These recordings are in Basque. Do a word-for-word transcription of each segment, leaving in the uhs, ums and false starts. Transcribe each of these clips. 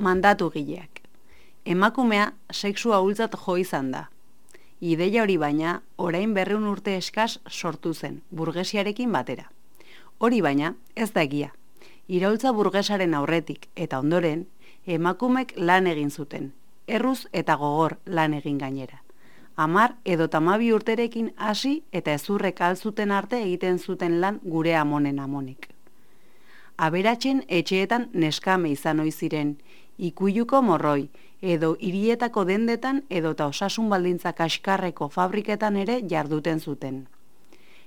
Mandatugileak. Emakumea sexu ahultzat jo izan da. Ideia hori baina, orain berreun urte eskas sortu zen, burgesiarekin batera. Hori baina, ez da egia. Iraultza burgesaren aurretik eta ondoren, emakumek lan egin zuten, erruz eta gogor lan egin gainera. Hamar edo tamabi urterekin hasi eta ezurrek alzuten arte egiten zuten lan gure amonen amonek. Aberatzen etxeetan neskame izan ohi ziren, ikuiluko morroi, edo hirietako dendetan edota osasun baldintza kaskarreko fabriketan ere jarduten zuten.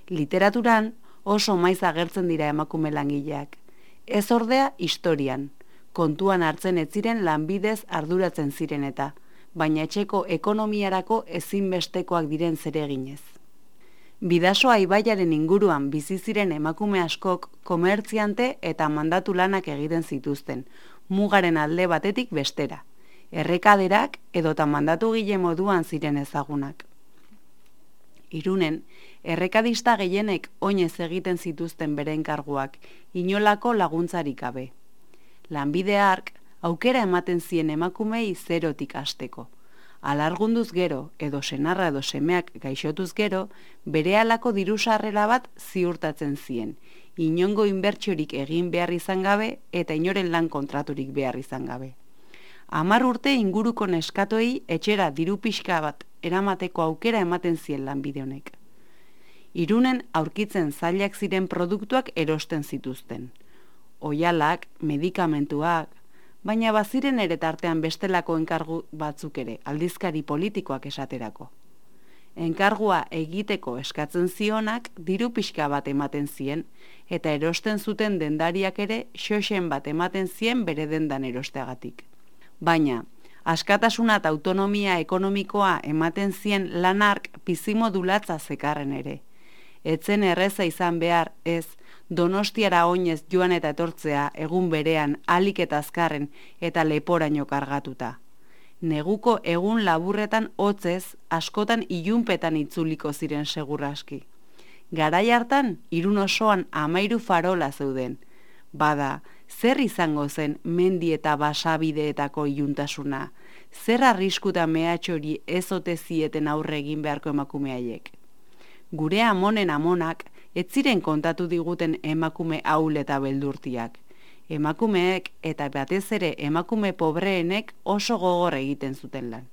Literaturan oso maiz agertzen dira emakume langileak. Ez ordea historian, kontuan hartzen ez ziren lanbidez arduratzen ziren eta, baina etxeko ekonomiarako ezinbestekoak diren zereginez. Bidasoa ibaiaren inguruan bizi ziren emakume askok komertziante eta mandatu lanak egiten zituzten, mugaren alde batetik bestera. Errekaderak edota mandatugile moduan ziren ezagunak. Irunen, errekadista gehienek oinez egiten zituzten bere enkarguak, inolako laguntzarik gabe. Lanbide hark aukera ematen zien emakumei zerotik hasteko. Alargunduz gero edo senarra edo semeak gaixotuz gero, berehalako diru sarrera bat ziurtatzen zien, inongo inbertsiorik egin behar izan gabe eta inoren lan kontraturik behar izan gabe. Hamar urte inguruko neskatoei etxera diru pixka bat eramateko aukera ematen zien lanbide honek. Irunen aurkitzen zailak ziren produktuak erosten zituzten. Oihalak, medikamentuak, baina baziren ere tartean bestelako enkargu batzuk ere, aldizkari politikoak esaterako. Enkargua egiteko eskatzen zionak diru pixka bat ematen zien, eta erosten zuten dendariak ere xoxen bat ematen zien bere dendan erosteagatik. Baina, askatasuna eta autonomia ekonomikoa ematen zien lanark bizimodulatza zekarren ere. Etzen erreza izan behar ez, Donostiara oinez joan eta etortzea egun berean alik eta azkarren eta leporaino kargatuta. Neguko egun laburretan hotzez askotan ilunpetan itzuliko ziren seguraski. Garai hartan, Irun osoan amairu farola zeuden. Bada, zer izango zen mendi eta basabideetako iluntasuna? Zer arriskuta mehatxori ez ote zieten aurre egin beharko emakumeaiek? Gure amonen amonak, ez ziren kontatu diguten emakume ahul eta beldurtiak. Emakumeek eta batez ere emakume pobreenek oso gogor egiten zuten lan.